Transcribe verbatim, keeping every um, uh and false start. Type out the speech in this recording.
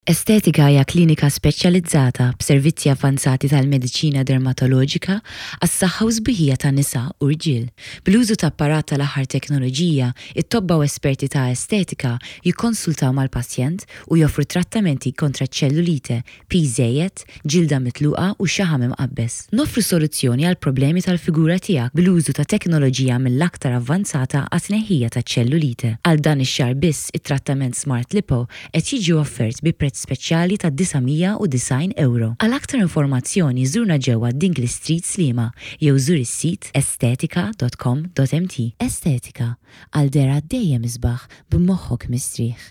Estetika hija klinika speċjalizzata b'servizzi avvanzati tal-mediċina dermatoloġika għas-saħħa u sbuħija ta' nisa u rġiel. Bl-użu ta' apparat tal-aħħar teknoloġija, it-tobba u esperti ta' estetika jikkonsultaw mal-pazjent u joffru trattamenti kontra ċellulite, piż żejjed, ġilda mitluqa u xaħam imqabbeż. Noffru soluzzjoni għal problemi tal-figura tiegħek bl-użu ta' teknoloġija mill-aktar avvanzata għat-tneħħija ta' ċellulite. Għal dan ix-xahar biss it-trattament Smart Lipo qed jiġi offert bi prezz speċjali ta' disa' mija u disgħin euro. Għal aktar informazzjoni żurna ġewwa Dingley Street, Sliema, jew żur is-sit estetika punt com punt M T. Estetika, għal dehra dejjem isbaħ b'moħħok mistrieħ.